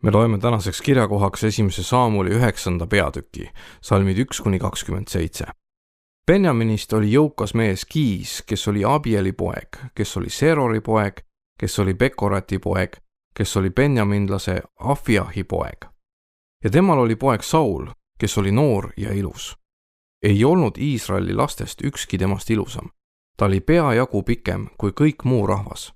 Me loeme tänaseks kirjakohaks 1. Saamuli 9. peatüki, salmid 1-27. Benjaminist oli jõukas mees Kiis, kes oli Abieli poeg, kes oli Serori poeg, kes oli Bekorati poeg, kes oli benjaminlase Afiahi poeg. Ja temal oli poeg Saul, kes oli noor ja ilus. Ei olnud Iisraeli lastest ükski temast ilusam. Ta oli peajagu pikem kui kõik muu rahvas.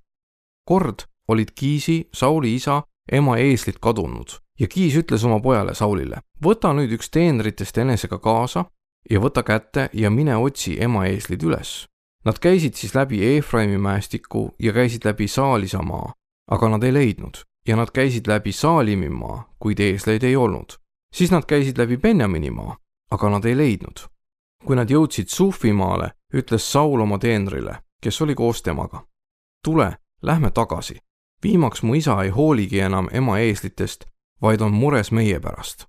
Kord olid Kiisi, Sauli isa, ema eeslit kadunud ja Kiis ütles oma pojale Saulile: võta nüüd üks teenritest enesega kaasa ja võta kätte ja mine otsi ema eeslid üles. Nad käisid siis läbi Eefraimi mäestiku ja käisid läbi Saalisa maa, aga nad ei leidnud, ja nad käisid läbi Saalimi maa, kuid eesleid ei olnud. Siis nad käisid läbi Benjamini maa, aga nad ei leidnud. Kui nad jõudsid Sufi maale, ütles Saul oma teenrile, kes oli koos temaga: tule, lähme tagasi. Viimaks mu isa ei hooligi enam ema eeslitest, vaid on mures meie pärast.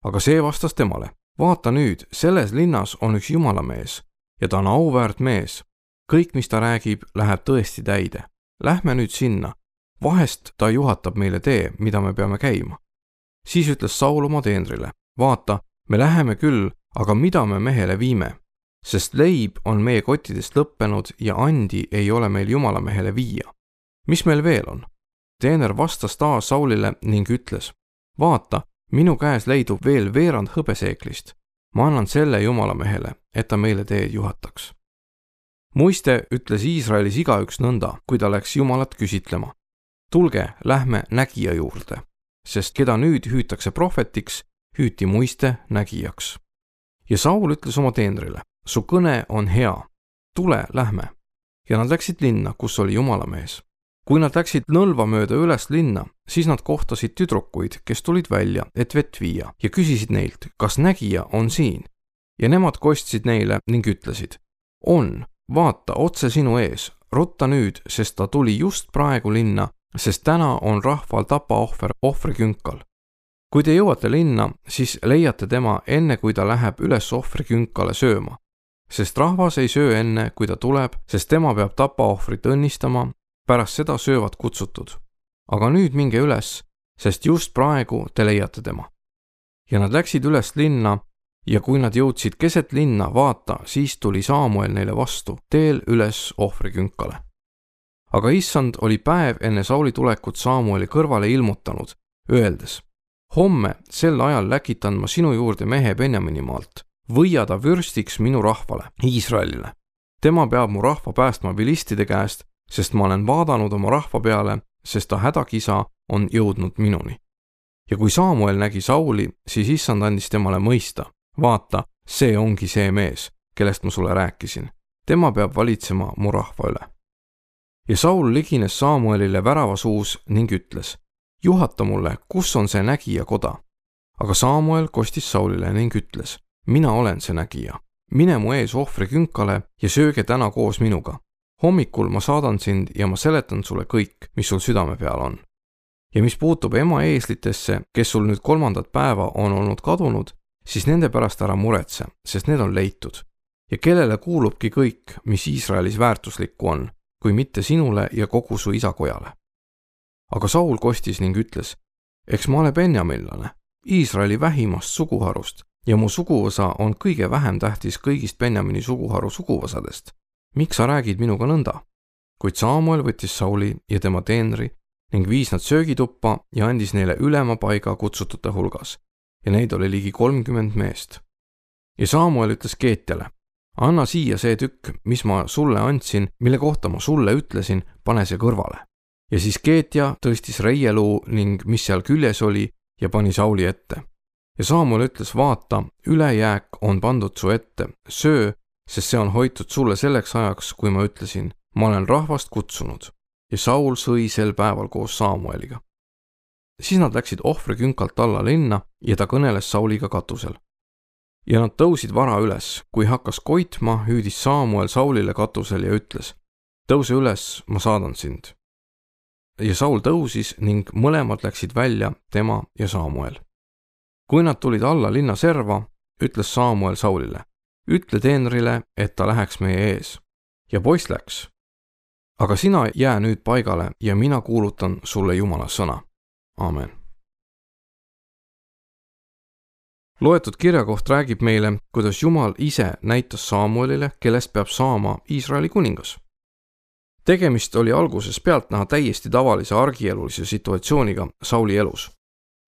Aga see vastas temale: vaata nüüd, selles linnas on üks jumalamees ja ta on auväärt mees. Kõik, mis ta räägib, läheb tõesti täide. Lähme nüüd sinna. Vahest ta juhatab meile tee, mida me peame käima. Siis ütles Saul oma teenrile: vaata, me läheme küll, aga mida me mehele viime? Sest leib on meie kottidest lõppenud ja andi ei ole meil jumalamehele viia. Mis meil veel on? Teener vastas taas Saulile ning ütles: vaata, minu käes leidub veel veerand hõbeseeklist. Ma annan selle jumalamehele, et ta meile teed juhataks. Muiste ütles Iisraelis igaüks nõnda, kui ta läks Jumalat küsitlema: tulge, lähme nägija juurde, sest keda nüüd hüütakse prohvetiks, hüüti muiste nägijaks. Ja Saul ütles oma teenrile: su kõne on hea, tule, lähme. Ja nad läksid linna, kus oli jumalamees. Kui nad läksid nõlva mööda üles linna, siis nad kohtasid tüdrukuid, kes tulid välja, et vett viia, ja küsisid neilt, kas nägija on siin. Ja nemad kostsid neile ning ütlesid: on, vaata otse sinu ees, rutta nüüd, sest ta tuli just praegu linna, sest täna on rahval tapaohver ohvrikünkal. Kui te jõuate linna, siis leiate tema enne, kui ta läheb üles ohvrikünkale sööma. Sest rahvas ei söö enne, kui ta tuleb, sest tema peab tapaohvrit õnnistama, pärast seda söövad kutsutud. Aga nüüd minge üles, sest just praegu te leiate tema. Ja nad läksid üles linna, ja kui nad jõudsid keset linna, vaata, siis tuli Saamuel neile vastu, teel üles ohvrikünkale. Aga issand oli päev enne Sauli tulekut Saamueli kõrvale ilmutanud, öeldes: homme sel ajal läkitan ma sinu juurde mehe Benjamini maalt, võia ta vürstiks minu rahvale, Iisraelile. Tema peab mu rahva päästma vilistide käest, sest ma olen vaadanud oma rahva peale, sest ta hädakisa on jõudnud minuni. Ja kui Saamuel nägi Sauli, siis issand andis temale mõista: vaata, see ongi see mees, kellest ma sulle rääkisin. Tema peab valitsema mu rahva üle. Ja Saul ligines Saamuelile väravasuus ning ütles: juhata mulle, kus on see nägija koda. Aga Saamuel kostis Saulile ning ütles: mina olen see nägija. Mine mu ees ohvrikünkale ja sööge täna koos minuga. Hommikul ma saadan sind ja ma seletan sulle kõik, mis sul südame peal on. Ja mis puutub ema eeslitesse, kes sul nüüd 3. päeva on olnud kadunud, siis nende pärast ära muretse, sest need on leitud. Ja kellele kuulubki kõik, mis Iisraelis väärtuslikku on, kui mitte sinule ja kogu su isakojale. Aga Saul kostis ning ütles: eks ma ole benjaminlane, Iisraeli vähimast suguharust, ja mu suguvõsa on kõige vähem tähtis kõigist Benjamini suguharu suguvõsadest. Miks sa räägid minuga nõnda? Kuid Saamuel võttis Sauli ja tema teenri ning viis nad söögituppa ja andis neile ülema paiga kutsutute hulgas, ja neid oli ligi 30 meest. Ja Saamuel ütles Keetjale: anna siia see tükk, mis ma sulle andsin, mille kohta ma sulle ütlesin, pane see kõrvale. Ja siis Keetja tõstis reieluu ning mis seal küljes oli ja pani Sauli ette. Ja Saamuel ütles: vaata, ülejääk on pandud su ette, söö, sest see on hoitud sulle selleks ajaks, kui ma ütlesin, ma olen rahvast kutsunud. Ja Saul sõi sel päeval koos Saamueliga. Siis nad läksid ohvrikünkalt alla linna ja ta kõneles Sauliga katusel. Ja nad tõusid vara üles, kui hakkas koitma, hüüdis Saamuel Saulile katusel ja ütles: tõuse üles, ma saadan sind. Ja Saul tõusis ning mõlemad läksid välja, tema ja Saamuel. Kui nad tulid alla linna serva, ütles Saamuel Saulile: ütle teenrile, et ta läheks meie ees. Ja poiss läks. Aga sina jää nüüd paigale ja mina kuulutan sulle Jumala sõna. Aamen. Loetud kirjakoht räägib meile, kuidas Jumal ise näitas Samuelile, kellest peab saama Iisraeli kuningas. Tegemist oli alguses pealtnäha täiesti tavalise argielulise situatsiooniga Sauli elus.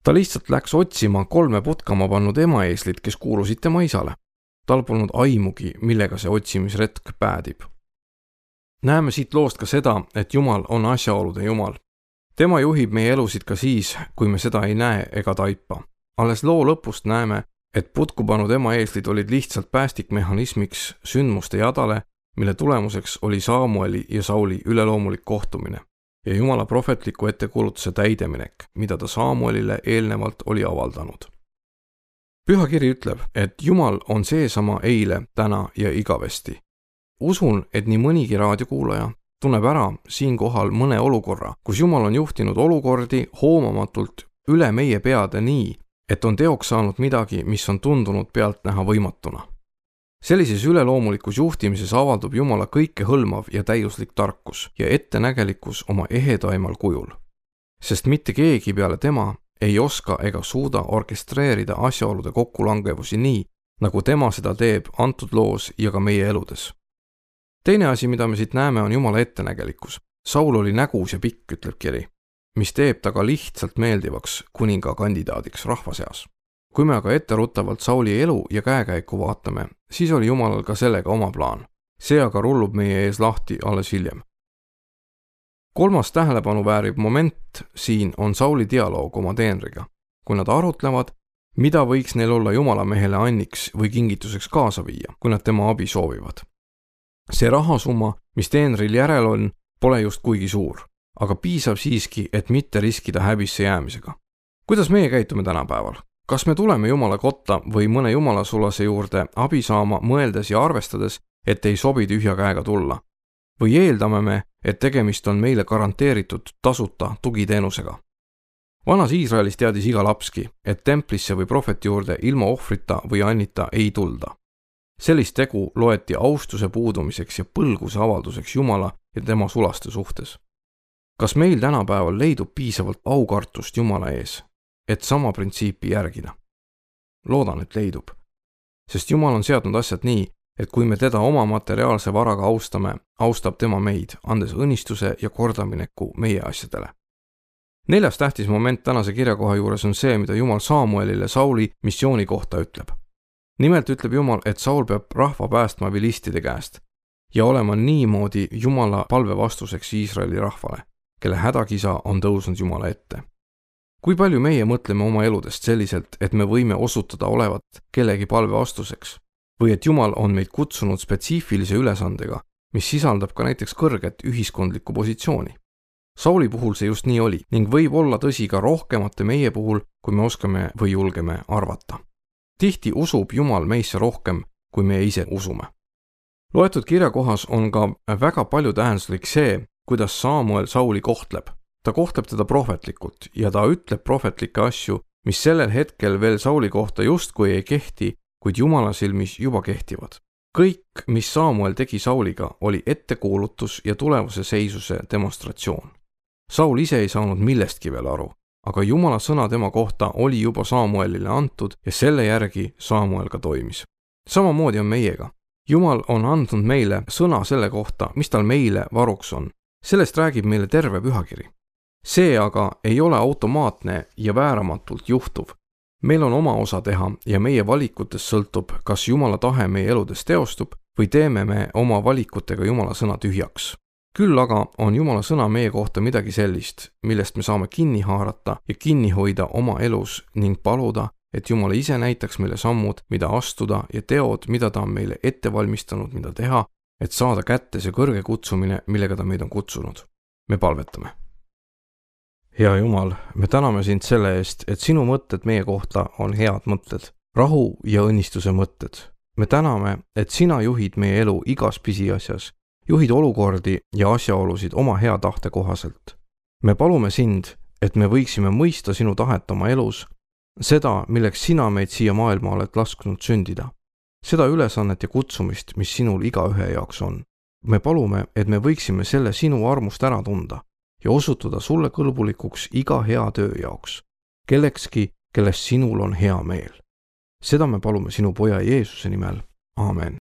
Ta lihtsalt läks otsima 3 putkama pannud emaeeslit, kes kuulusid tema isale. Tal polnud aimugi, millega see otsimisretk päädib. Näeme siit loost ka seda, et Jumal on asjaolude Jumal. Tema juhib meie elusid ka siis, kui me seda ei näe ega taipa. Alles loo lõpust näeme, et putku pannud emaeeslid olid lihtsalt päästikmehhanismiks sündmuste jadale, mille tulemuseks oli Samueli ja Sauli üleloomulik kohtumine ja Jumala prohvetliku ettekuulutuse täideminek, mida ta Samuelile eelnevalt oli avaldanud. Pühakiri ütleb, et Jumal on seesama eile, täna ja igavesti. Usun, et nii mõnigi raadiokuulaja tunneb ära siinkohal mõne olukorra, kus Jumal on juhtinud olukordi hoomamatult üle meie peade nii, et on teoks saanud midagi, mis on tundunud pealtnäha võimatuna. Sellises üleloomulikus juhtimises avaldub Jumala kõikehõlmav ja täiuslik tarkus ja ettenägelikkus oma ehedaimal kujul. Sest mitte keegi peale tema ei oska ega suuda orkestreerida asjaolude kokkulangevusi nii, nagu tema seda teeb antud loos ja ka meie eludes. Teine asi, mida me siit näeme, on Jumala ettenägelikkus. Saul oli nägus ja pikk, ütleb kiri, mis teeb ta ka lihtsalt meeldivaks kuninga kandidaadiks rahva seas. Kui me aga etteruttavalt Sauli elu ja käekäiku vaatame, siis oli Jumalal ka sellega oma plaan. See aga rullub meie ees lahti alles hiljem. 3. tähelepanu väärib moment siin on Sauli dialoog oma teenriga, kui nad arutlevad, mida võiks neil olla Jumala mehele anniks või kingituseks kaasa viia, kui nad tema abi soovivad. See rahasumma, mis teenril järel on, pole just kuigi suur, aga piisab siiski, et mitte riskida häbisse jäämisega. Kuidas meie käitume tänapäeval? Kas me tuleme Jumala kotta või mõne Jumalasulase juurde abi saama mõeldes ja arvestades, et ei sobi tühja käega tulla? Või eeldame me, et tegemist on meile garanteeritud tasuta tugiteenusega? Vanas Iisraelis teadis iga lapski, et templisse või prohveti juurde ilma ohvrita või annita ei tulda. Sellist tegu loeti austuse puudumiseks ja põlguse avalduseks Jumala ja tema sulaste suhtes. Kas meil tänapäeval leidub piisavalt aukartust Jumala ees, et sama printsiipi järgida? Loodan, et leidub. Sest Jumal on seadnud asjad nii, et kui me teda oma materiaalse varaga austame, austab tema meid, andes õnnistuse ja kordamineku meie asjadele. 4. tähtis moment tänase kirjakoha juures on see, mida Jumal Samuelile Sauli missiooni kohta ütleb. Nimelt ütleb Jumal, et Saul peab rahva päästma vilistide käest ja olema niimoodi Jumala palve vastuseks Iisraeli rahvale, kelle hädakisa on tõusnud Jumala ette. Kui palju meie mõtleme oma eludest selliselt, et me võime osutada olevat kellegi palve vastuseks või et Jumal on meid kutsunud spetsiifilise ülesandega, mis sisaldab ka näiteks kõrget ühiskondlikku positsiooni. Sauli puhul see just nii oli ning võib olla tõsi ka rohkemate meie puhul, kui me oskame või julgeme arvata. Tihti usub Jumal meisse rohkem, kui me ise usume. Loetud kirjakohas on ka väga palju tähenduslik see, kuidas Samuel Sauli kohtleb. Ta kohtleb teda prohvetlikult ja ta ütleb prohvetlikke asju, mis sellel hetkel veel Sauli kohta justkui ei kehti, kuid Jumala silmis juba kehtivad. Kõik, mis Samuel tegi Sauliga, oli ettekuulutus ja tulevase seisuse demonstratsioon. Saul ise ei saanud millestki veel aru, aga Jumala sõna tema kohta oli juba Samuelile antud ja selle järgi Samuel ka toimis. Samamoodi on meiega. Jumal on andnud meile sõna selle kohta, mis tal meile varuks on. Sellest räägib meile terve pühakiri. See aga ei ole automaatne ja vääramatult juhtuv. Meil on oma osa teha ja meie valikutest sõltub, kas Jumala tahe meie eludes teostub või teeme me oma valikutega Jumala sõna tühjaks. Küll aga on Jumala sõna meie kohta midagi sellist, millest me saame kinni haarata ja kinni hoida oma elus ning paluda, et Jumal ise näitaks meile sammud, mida astuda ja teod, mida ta on meile ette valmistanud, mida teha, et saada kätte see kõrge kutsumine, millega ta meid on kutsunud. Me palvetame. Hea Jumal, me täname sind selle eest, et sinu mõtted meie kohta on head mõtted, rahu ja õnnistuse mõtted. Me täname, et sina juhid meie elu igas pisiasjas, juhid olukordi ja asjaolusid oma hea tahte kohaselt. Me palume sind, et me võiksime mõista sinu tahet oma elus, seda, milleks sina meid siia maailma oled lasknud sündida, seda ülesannet ja kutsumist, mis sinul igaühe jaoks on. Me palume, et me võiksime selle sinu armust ära tunda ja osutuda sulle kõlbulikuks iga hea töö jaoks, kellekski, kellest sinul on hea meel. seda me palume sinu poja Jeesuse nimel. Aamen.